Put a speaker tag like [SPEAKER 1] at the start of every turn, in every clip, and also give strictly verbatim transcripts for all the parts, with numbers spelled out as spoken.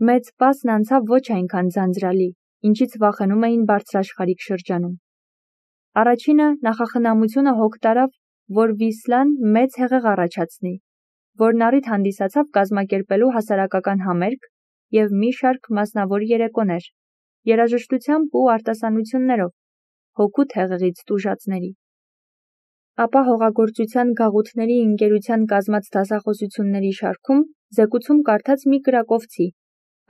[SPEAKER 1] Մեծ պասն անցավ ոչ այնքան ձանձրալի, ինչից վախենում էին բարձրաշխարհիկ շրջանում։ Առաջինը նախախնամությունը հոգ տարավ, որ Վիսլան մեծ հեղեղ առաջացնի, որն առիթ հանդիսացավ կազմակերպելու հասարակական համերգ և մի շարք մասնավոր երեկոներ, երաժշտությամբ ու արտասանություններով, հօգուտ հեղեղից տուժածների։ Ապա հողագործության գաղութների ընկերության կազմած դասախոսությունների շարքում զեկուցում կարդաց մի կրակովցի,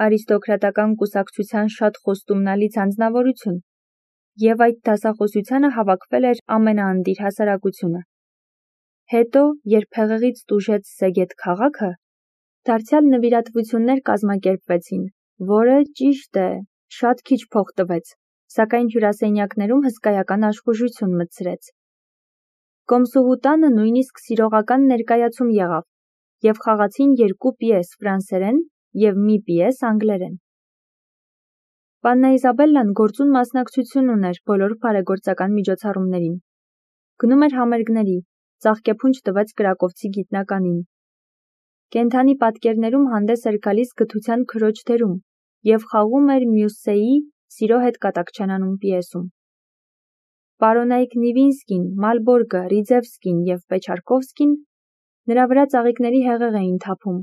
[SPEAKER 1] արիստոկրատական կուսակցության շատ խոստումնալից անձնավորություն, և այդ դասախոսությանը հավաքվել էր ամենաանդիր հասարակությունը։ Հետո, երբ հեղեղից տուժեց Սեգեդ քաղաքը, դարձյալ նվիրատվություններ կազմակերպվեցին, որը, ճիշտ է, շատ քիչ փող տվեց, սակայն հյուրասենյակներում հսկայական աշխուժություն մտցրեց։ Կոմսուհու տանը նույնիսկ սիրողական ներկայացում եղավ, և խաղացին երկու պիես ֆրանսերեն և մի պիես անգլերեն։ Պաննա Իզաբելլան գործուն մասնակցություն ուներ բոլոր բարեգործական միջոցառումներին։ Գնում էր համերգների, ծաղկեփունջ տվեց կրակովցի գիտնականին։ Կենդանի պատկերներում հանդես էր գալիս գթության քրոջ դերում և խաղում էր Մյուսսեի «Սիրո հետ կատակ չեն անում» պիեսում։ Պարոնայք Նիվինսկին, Մալբորգը, Ռիձևսկին և Պեչարկովսկին նրա վրա ծաղիկների հեղեղ էին թափում,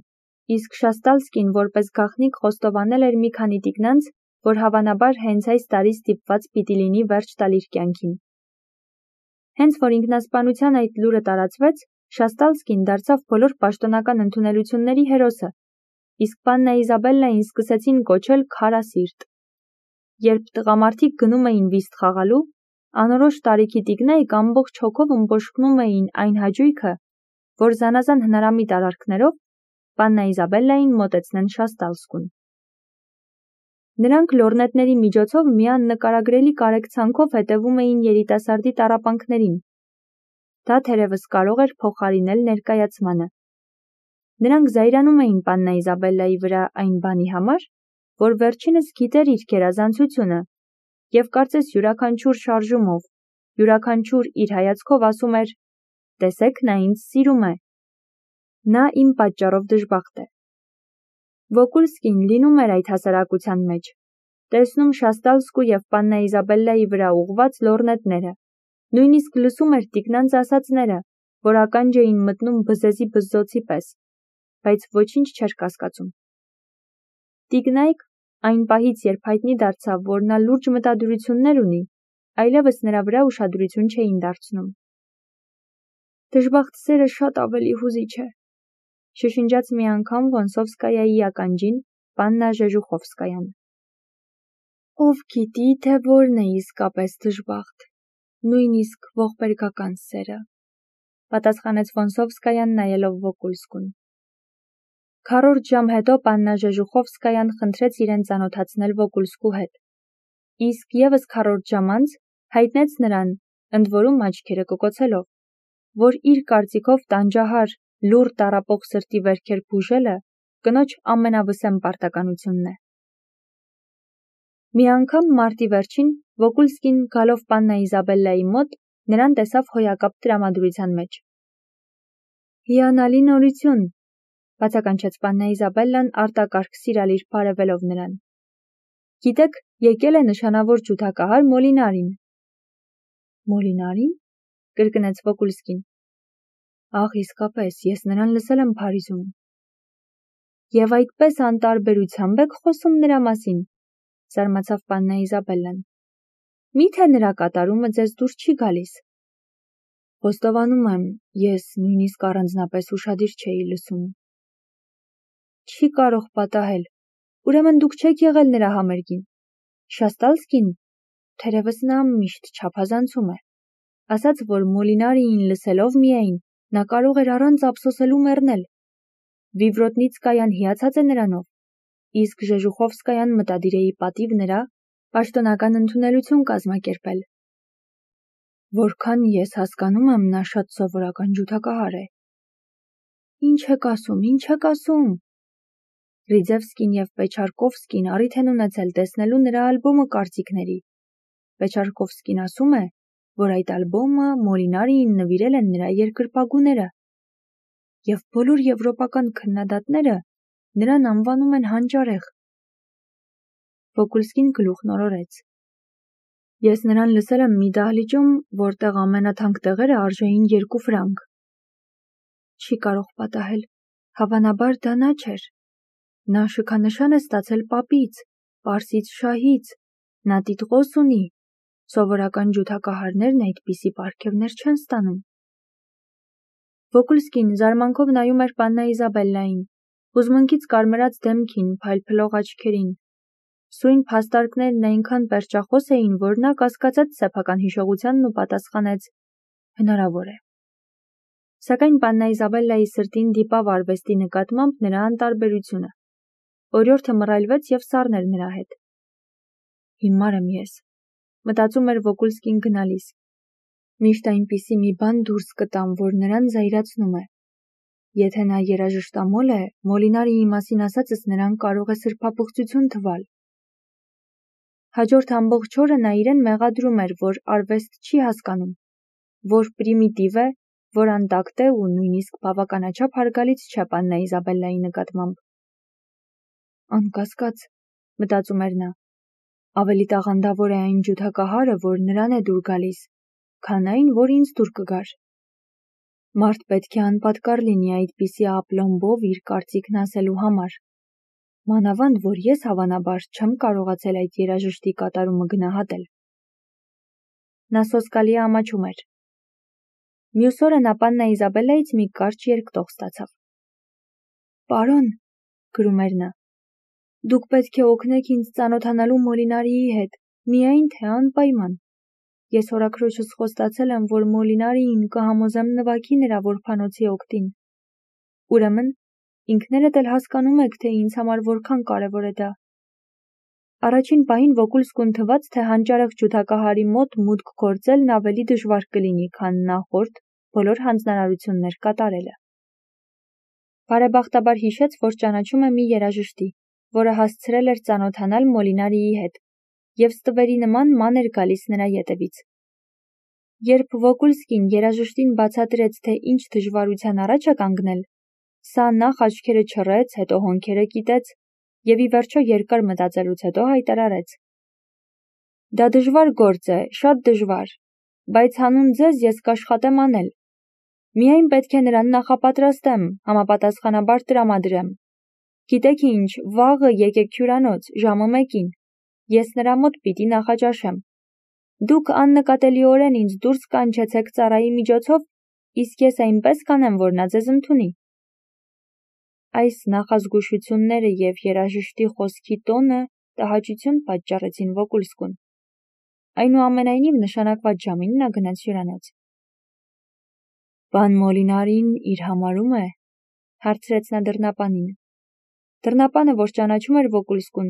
[SPEAKER 1] իսկ Շաստալսկին որպես գաղտնիք խոստովանել էր մի քանի տիկնանց, որ հավանաբար հենց այս տարի ստիպված պիտի լինի վերջ տալ իր կյանքին։ Հենց որ ինքնասպանության այդ լուրը տարածվեց, Շաստալսկին դարձավ բոլոր պաշտոնական ընդունելությունների հերոսը, իսկ Պաննա Իզաբելլային սկսեցին կոչել քարասիրտ։ Երբ տղամարդիկ գնում էին վիստ խաղալու, անորոշ տարիքի տիկնայք ամբողջ հոգով ըմբոշխնում էին այն հաճույքը, որ զանազան հնարամիտ արարքներով Պաննա Իզաբելլային մոտեցնեն Շաստալսկուն։ Նրանք լորնետների միջոցով մի աննկարագրելի կարեկցանքով հետևում էին երիտասարդի տառապանքներին։ Դա թերևս կարող էր փոխարինել ներկայացմանը։ Նրանք զայրանում էին Պաննա Իզաբելլայի վրա այն բանի համար, որ վերջինս գիտեր իր գերազանցությունը և կարծես յուրաքանչյուր շարժումով, յուրաքանչյուր իր հայացքով ասում էր. «Տեսեք, նա ինձ սիրում է։ Նա իմ պատճառով դժբախտ է»։ Վոկուլսկին լինում էր այդ հասարակության մեջ, տեսնում Շաստալսկու և Պաննա Իզաբելլայի վրա ուղղված լորնետները, նույնիսկ լսում էր տիկնանց ասածները, որ ականջ էին մտնում բզեզի բզզոցի պես, բայց ոչինչ չէր կասկածում։ Տիկնայք, այն պահից, երբ հայտնի դարձավ, որ նա լուրջ մտադրություններ ունի, այլևս նրա վրա ուշադրություն չէին դարձնում։ «Դժբախտ սերը շատ ավելի հուզիչ է», շշնջաց մի անգամ Վոնսովսկայայի ականջին Պաննա Ժեժուխովսկայան։ «Ով գիտի, թե որն է իսկապես դժբախտ, նույնիսկ ողբերգական սերը», պատասխանեց Վոնսովսկայան նայելով Վոկուլսկուն։ Քառորդ ժամ հետո Պաննա Ժեժուխովսկայան խնդրեց իրեն ծանոթացնել Վոկուլսկու հետ, իսկ ևս քառորդ ժամ անց հայտնեց նրան, ընդ որում աչքերը կկոցելով, որ իր կարծիքով տանջահար, լուռ տառապող սրտի վերքեր բուժելը կնոջ ամենավսեմ պարտականությունն է։ Մի անգամ մարտի վերջին Վոկուլսկին գալով Պաննա Իզաբելլայի մոտ նրան տեսավ հոյակապ տրամադրության մեջ։ «Հիանալի նորություն», բացականչեց Պաննա Իզաբելլան արտակարգ սիրալիր բարևելով նրան։ «Գիտեք, եկել է նշանավոր ջութակահար Մոլինարին»։ «Մոլինարի՞ն», կրկնեց Վոկուլսկին։ «Ահ, իսկապես, ես նրան լսել եմ Փարիզում»։ «Եվ այդպես անտարբերությամբ եք խոսում նրա մասին», զարմացավ Պաննա Իզաբելլան։ «Մի՞թե նրա կատարումը ձեզ դուր չի գալիս»։ «Խոստովանում եմ, ես նույնիսկ առանձնապես ուշադիր չէի լսում»։ «Չի կարող պատահել, ուրեմն դուք չեք եղել նրա համերգին»։ Շաստալսկին, թերևս նա միշտ չափազանցում է, ասաց, որ Մոլինարիին լսելով միայն նա կարող էր առանց ափսոսելու մեռնել։ Վիվրոտնիցկայան հիացած է նրանով, իսկ Ժեժուխովսկայան մտադիր է ի պատիվ նրա պաշտոնական ընդունելություն կազմակերպել։ Որքան ես հասկանում եմ, նա շատ սովորական ջութակահար է։ Ինչ եք ասում, ինչ եք ասում։ Ռիձևսկին և Պեչարկովսկին առիթ են ունեցել տեսնելու նրա ալբոմը կարծիքների։ Պեչարկովսկին ասում է, որ այդ ալբոմը Մոլինարիին նվիրել են նրա երկրպագուները, և բոլոր եվրոպական քննադատները նրան անվանում են հանճարեղ, Վոկուլսկին գլուխն օրորեց։ Ես նրան լսել եմ մի դահլիճում, որտեղ ամենաթանկ տեղերը արժեին երկու ֆրանկ։ Չի կարող պատահել, հավանաբար դա նա չէր։ Նա շքանշան է ստացել պապից, պարսից շահից, նա տիտղոս ունի, սովորական ջութակահարներն այդպիսի պարգևներ չեն ստանում։ Վոկուլսկին զարմանքով նայում էր պաննա Իզաբելլային, հուզմունքից կարմրած դեմքին, փայլփլող աչքերին։ Սույն փաստարկներն այնքան պերճախոս էին, որ նա կասկածեց սեփական հիշողությանն ու պատասխանեց. հնարավոր է։ Սակայն պաննա Իզաբելլայի սրտին դիպավ արվեստի նկատմամբ նրա անտարբերությունը։ Օրիորդը մռայլվեց և սառներ նրա հետ։ Հիմար եմ ես, մտածում էր Վոկուլսկին գնալիս։ Միշտ այնպիսի մի բան դուրս կտամ, որ նրան զայրացնում է։ Եթե նա երաժշտամոլ է, Մոլինարիի մասին ասածս նրան կարող է սրբափոխծություն թվալ։ Հաջորդ ամբողջ օրը նա իրեն մեղադրում էր, որ արվեստ չի հասկանում, որ պրիմիտիվ է, որ անտակտ է ու նույնիսկ բավականաչափ հարգալից չէ պաննա Իզաբելլայի նկատմամբ։ Անկասկած, մտածում էր նա, ավելի տաղանդավոր է այն ջութակահարը, որ նրան է դուր գալիս, քան այն, որ ինձ դուր կգար։ Մարդ պետք է անպատկառ լինի այդպիսի ապլոմբով իր կարծիքն ասելու համար։ Մանավանդ, որ ես հավանաբար չեմ կարողացել այդ երաժշտի կատարումը գնահատել։ Նա սոսկալի ամաչում էր։ Մյուս օրը նա պաննա Իզաբելլայից մի կարճ երկտող ստացավ։ Պարոն, գրում էր նա, դուք պետք է օգնեք ինձ ծանոթանալու Մոլինարիի հետ, միայն թե անպայման։ Ես հորաքրոջս խոստացել եմ, որ Մոլինարիին կհամոզեմ նվագի նրա որբանոցի օգտին։ Ուրեմն, ինքներդ էլ հասկանում եք, թե ինձ համար որքան կարևոր է դա։ Առաջին պահին Վոկուլսկուն թվաց, թե հանճարեղ ջութակահարի մոտ մուտք գործելն ավելի դժվար կլինի, քան նախորդ բոլոր հանձնարարություններ կատարելը։ Բարեբախտաբար հիշեց, որ ճանաչում է մի երաժշտի, որը հասցրել էր ծանոթանալ Մոլինարիի հետ, և ստվերի նման ման էր գալիս նրա ետևից։ Երբ Վոկուլսկին երաժշտին բացատրեց, թե ինչ դժվարության առաջ է կանգնել, սա նախ աչքերը չռեց, հետո հոնքերը կիտեց և ի վերջո երկար մտածելուց հետո հայտարարեց. Դա դժվար գործ է, շատ դժվար, բայց հանուն ձեզ ես կաշխատեմ անել։ Միայն պետք է նրան նախապատրաստեմ, համապատասխանաբար տրամադրեմ։ Գիտեք ինչ, վաղը եկեք հյուրանոց, ժամը մեկին, ես նրա մոտ պիտի նախաճաշեմ։ Դուք աննկատելիորեն ինձ դուրս կանչեցեք ծառայի միջոցով, իսկ ես այնպես կանեմ, որ նա ձեզ ընդունի։ Այս նախազգուշությունները և երաժշտի խոսքի տոնը տհաճություն պատճառեցին Վոկուլսկուն։ Այնուամենայնիվ նշանակված ժամին նա գնաց հյուրանոց։ Պան Մոլինարին իր համարում է, հարցրեց նա դռնապանին։ Դռնապանը, որ ճանաչում էր Վոկուլսկուն,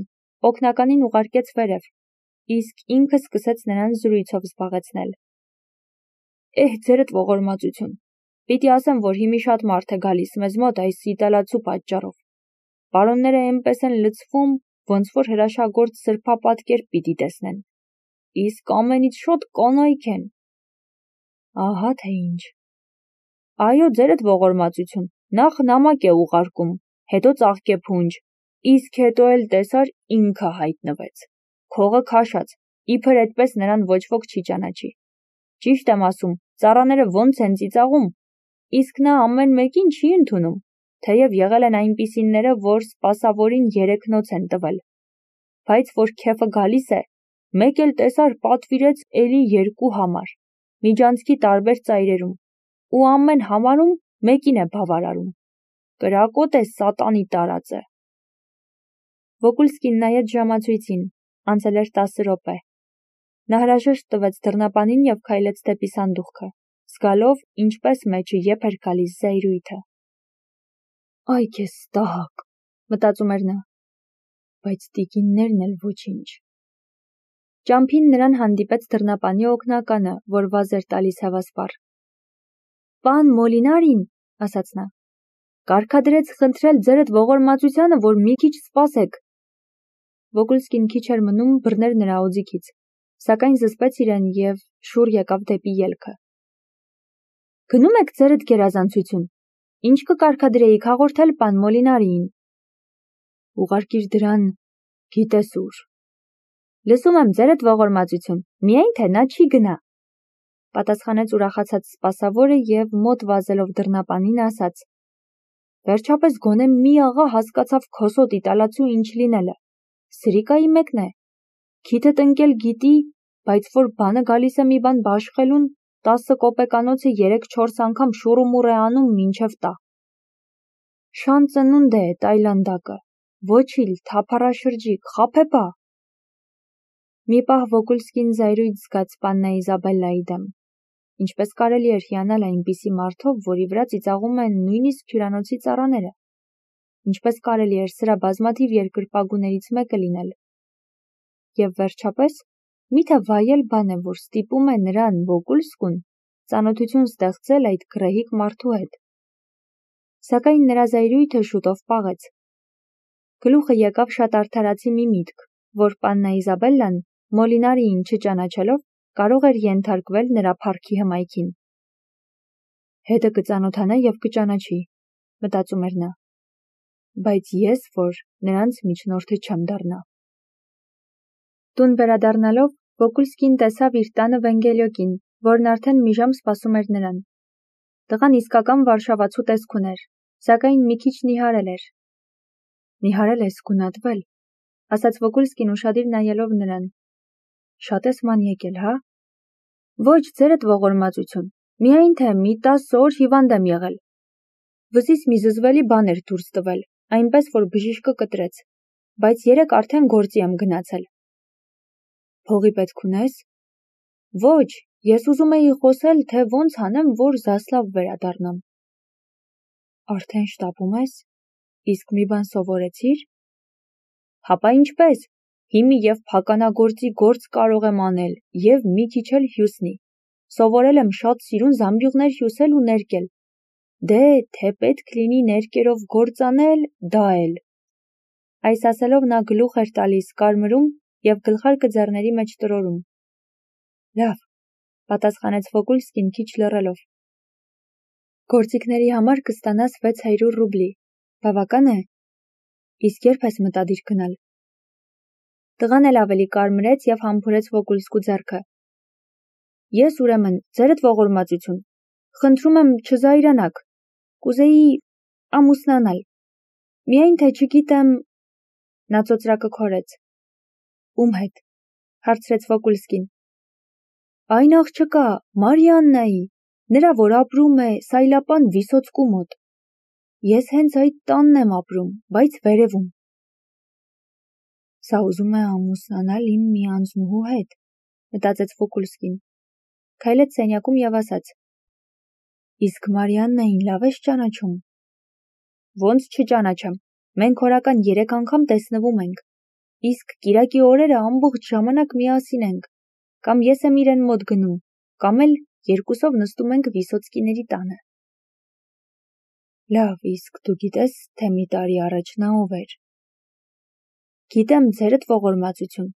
[SPEAKER 1] օգնականին ուղարկեց վերև, իսկ ինքը սկսեց նրան զրույցով զբաղեցնել։ Էհ, ձերդ ողորմածություն, պիտի ասեմ, որ հիմի շատ մարդ է գալիս մեզ մոտ այս իտալացու պատճառով։ Պարոնները էնպես են լցվում, ոնց որ հրաշագործ սրբապատկեր պիտի տեսնեն։ Իսկ ամենից շոտ կանայք են։ Ահա թե ինչ։ Այո, ձերդ ողորմածություն, նախ նամակ է ուղարկում, հետո ծաղկեփունջ, իսկ հետո էլ տեսար ինքը հայտնվեց։ Քողը քաշած, իբր այդպես նրան ոչ ոք չի ճանաչի։ Ճիշտ եմ ասում, ծառաները ոնց են ծիծաղում, իսկ նա ամեն մեկին չի ընդունում, թեև եղել են այնպիսիները, որ սպասավորին երեք նոց են տվել։ Բայց որ քեֆը գալիս է, մեկ էլ տեսար պատվիրեց էլի երկու համար, միջանցքի տարբեր ծայրերում, ու ամեն համարում մեկին է բավարարում։ Կրակոտ է սատանի տարածը։ Վոկուլսկին նայեց ժամացույցին, անցել էր տասը րոպե։ Նա հրաժեշտ տվեց դռնապանին և քայլեց դեպի սանդուղքը, զգալով, ինչպես մեջը եփ էր գալիս զայրույթը։ Այ քեզ ստահակ, մտածում էր նա, բայց տիկիններն էլ ոչինչ։ Ճամփին նրան հանդիպեց դռնապանի օգնականը, որ վազ էր տալիս հևասպառ։ Պան Մոլինարին, ասաց նա, կարգադրեց խնդրել ձերդ ողորմածությանը, որ մի քիչ սպասեք։ Վոկուլսկին քիչ էր մնում բռներ նրա օձիքից, սակայն զսպեց իրեն և շուռ եկավ դեպի ելքը։ Գնում եք ձերդ գերազանցություն, ինչ կկարգադրեիք հաղորդել պան Մոլինարիին։ Ուղարկիր դրան, գիտես ուր, Լսում եմ ձերդ ողորմածություն, միայն թե նա չի գնա, պատասխանեց ուրախացած սպասավորը և մոտ վազելով դռնապանին ասաց. Վերջապես գոնե մի աղա հասկացավ քոսոտ իտալացու ինչ լինելը, սրիկայի մեկն է, քիթդ ընկել գիտի, բայց որ բանը գալիս է մի բան բաշխելուն, տասը կոպեկանոցը երեք-չորս անգամ շուռումուռ է անում մինչև տա։ Շան ծնունդ է Տայլանդակը, ոչիլ, թափառաշրջիկ, խաբեբա։ Մի պահ Վոկուլսկին զայրույթ զգաց պաննա Իզաբելլայի դեմ։ Ինչպես կարելի էր հիանալ այնպիսի մարդով, որի վրա ծիծաղում են նույնիսկ հյուրանոցի ծառաները։ Ինչպես կարելի էր սրա բազմաթիվ երկրպագուներից մեկը լինել։ Եվ վերջապես, միթե վայել բան է, որ ստիպում է նրան Վոկուլսկուն ծանոթություն ստեղծել այդ գռեհիկ մարդու հետ։ Սակայն նրա զայրույթը շուտով պաղեց։ Գլուխը եկավ շատ արդարացի մի միտք, որ պաննա Իզաբելլան Մոլինարիին չճանաչելով կարող էր ենթարկվել նրա փառքի հմայքին։ Հետը կծանոթանա և կճանաչի, մտածում էր նա, բայց ես որ նրանց միջնորդը չեմ դառնա։ Տուն վերադառնալով Վոկուլսկին տեսավ իր տանը Վենգելյոկին, որն արդեն մի ժամ սպասում էր նրան։ Տղան իսկական վարշավացու տեսք ուներ, սակայն մի քիչ նիհարել էր։ Նիհարել ես գունատվել, ասաց Վոկուլսկին ուշադիր նայելով նրան։ Շատ ես ման եկել, հա։ Ոչ, ձերդ ողորմածություն, միայն թե մի տասը օր հիվանդ եմ եղել։ Վզիս մի զզվելի բան էր դուրս տվել, այնպես որ բժիշկը կտրեց, բայց երեկ արդեն գործի եմ գնացել։ Փողի պետք ունես։ Ոչ, ես ուզում էի խոսել, թե ոնց անեմ, որ Զասլավ վերադառնամ։ Արդեն շտապում ես։ Իսկ մի բան սովորեցիր։ Հապա ինչպես։ Հիմի և փականագործի գործ կարող եմ անել, և մի քիչ էլ հյուսնի։ Սովորել եմ շատ սիրուն զամբյուղներ հյուսել ու ներկել։ Դե, թե պետք լինի ներկերով գործ անել, դա էլ։ Այս ասելով նա գլուխ էր տալիս կարմրում և գլխարկը ձեռների մեջ տրորում։ Լավ, պատասխանեց Վոկուլսկին քիչ լռելով։ Գործիքների համար կստանաս վեց հարյուր ռուբլի։ Բավական է։ Իսկ երբ ես մտադիր գնալ։ Տղան էլ ավելի կարմրեց և համբուրեց Վոկուլսկու ձեռքը։ Ես ուրեմն, ձերդ ողորմածություն, խնդրում եմ չզայրանաք, կուզեի ամուսնանալ, միայն թե չգիտեմ, նա ծոծրակը քորեց։ Ում հետ, հարցրեց Վոկուլսկին։ Այն աղջկա, Մարիաննայի, նրա որ ապրում է Սայլապան Վիսոցկու մոտ։ Ես հենց այդ տանն եմ ապրում, բայց վերևում։ Սա ուզում է ամուսնանալ իմ մի անձնուհու հետ, մտածեց Վոկուլսկին։ Քայլեց սենյակում և ասաց. Իսկ Մարիաննային լավ ես ճանաչում։ Ոնց չճանաչեմ, մենք օրական երեք անգամ տեսնվում ենք, իսկ կիրակի օրերը ամբողջ ժամանակ միասին ենք, կամ ես եմ իրեն մոտ գնում, կամ էլ երկուսով նստում ենք Վիսոցկիների տանը։ Լավ, իսկ դու գիտես, թե մի տարի առաջ նա ով էր։ Գիտեմ, ձերդ ողորմածություն,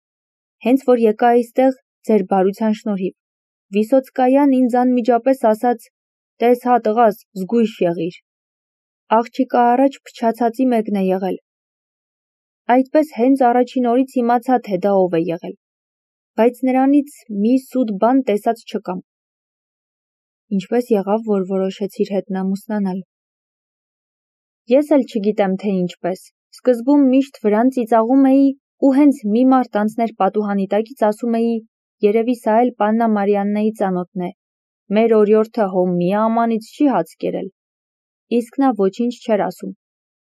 [SPEAKER 1] հենց որ եկա այստեղ ձեր բարության շնորհիվ, Վիսոցկայան ինձ անմիջապես ասաց, տես հա տղաս, զգույշ եղիր, աղջիկը առաջ փչացածի մեկն է եղել, այդպես հենց առաջին օրից իմացա, թե դա ով է եղել, բայց նրանից մի սուտ բան տեսած չկամ։ Ինչպես եղավ, որ որոշեցիր հետն ամուսնանալ։ Ես էլ չգիտեմ, թե ինչպես, սկզբում միշտ վրան ծիծաղում էի ու հենց մի մարդ անցներ պատուհանի տակից ասում էի, երևի սա էլ պաննա Մարիաննայի ծանոթն է, մեր օրիորդը հո մի ամանից չի հաց կերել։ Իսկ նա ոչինչ չէր ասում,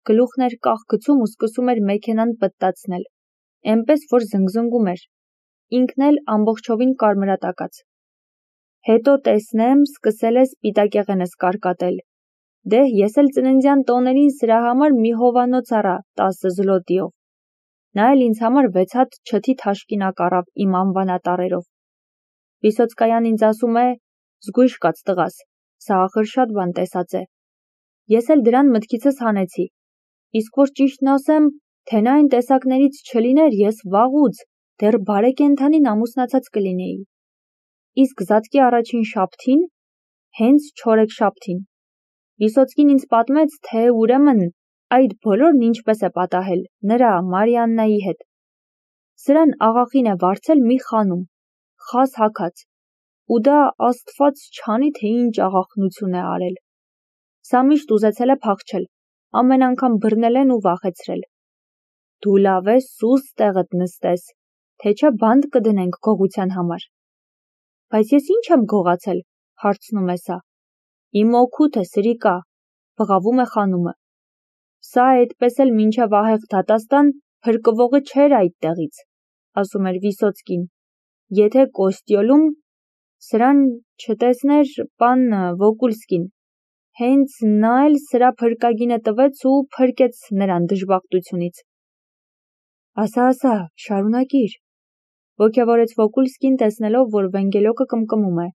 [SPEAKER 1] գլուխն էր կախ գցում ու սկսում էր մեքենան պտտացնել, էնպես որ զնգզնգում էր, ինքն էլ ամբողջովին կարմրատակած։ Հետո տեսնեմ, սկսել է սպիտակեղենս կարկատել։ Դե ես էլ ծննդյան տոներին սրա համար մի հովանոց առա տասը զլոտիով։ Նա էլ ինձ համար վեց հատ չթի թաշկինակ առավ իմ անվանատարերով։ Վիսոցկայան ինձ ասում է, զգույշ կաց տղաս, սա ախր շատ բան տեսած է։ Ես էլ դրան մտքիցս հանեցի։ Իսկ որ ճիշտն ասեմ, թե նա այն տեսակներից չլիներ, ես վաղուց, դեռ բարեկենդանին ամուսնացած կլինեի։ Իսկ զատկի առաջին շաբթին, հենց չորեքշաբթին, Վիսոցկին ինձ պատմեց, թե ուրեմն այդ բոլորն ինչպես է պատահել նրա Մարիաննայի հետ։ Սրան աղախին է վարձել մի խանում, խազ հագած, ու դա աստված չանի, թե ինչ աղախնություն է արել։ Սա միշտ ուզեցել է փախչել, ամեն անգամ բռնել են ու վախեցրել։ Դու լավ ես սուս տեղդ նստես, թե չէ բանտ կդնենք գողության համար։ Բայց ես ինչ եմ գողացել, հարցնում է սա։ Իմ օգուտը սրիկա, բղավում է խանումը։ Սա այդպես էլ մինչև ահեղ դատաստան փրկվողը չէր այդտեղից, ասում էր Վիսոցկին, եթե Կոստյոլում սրան չտեսներ պան Վոկուլսկին, հենց նա էլ սրա փրկագինը տվեց ու փրկեց նրան դժբախտությունից։ Ասա, ասա, շարունակիր, ոգևորեց Վոկուլսկին տեսնելով, որ Վենգելոկը կմկմում է։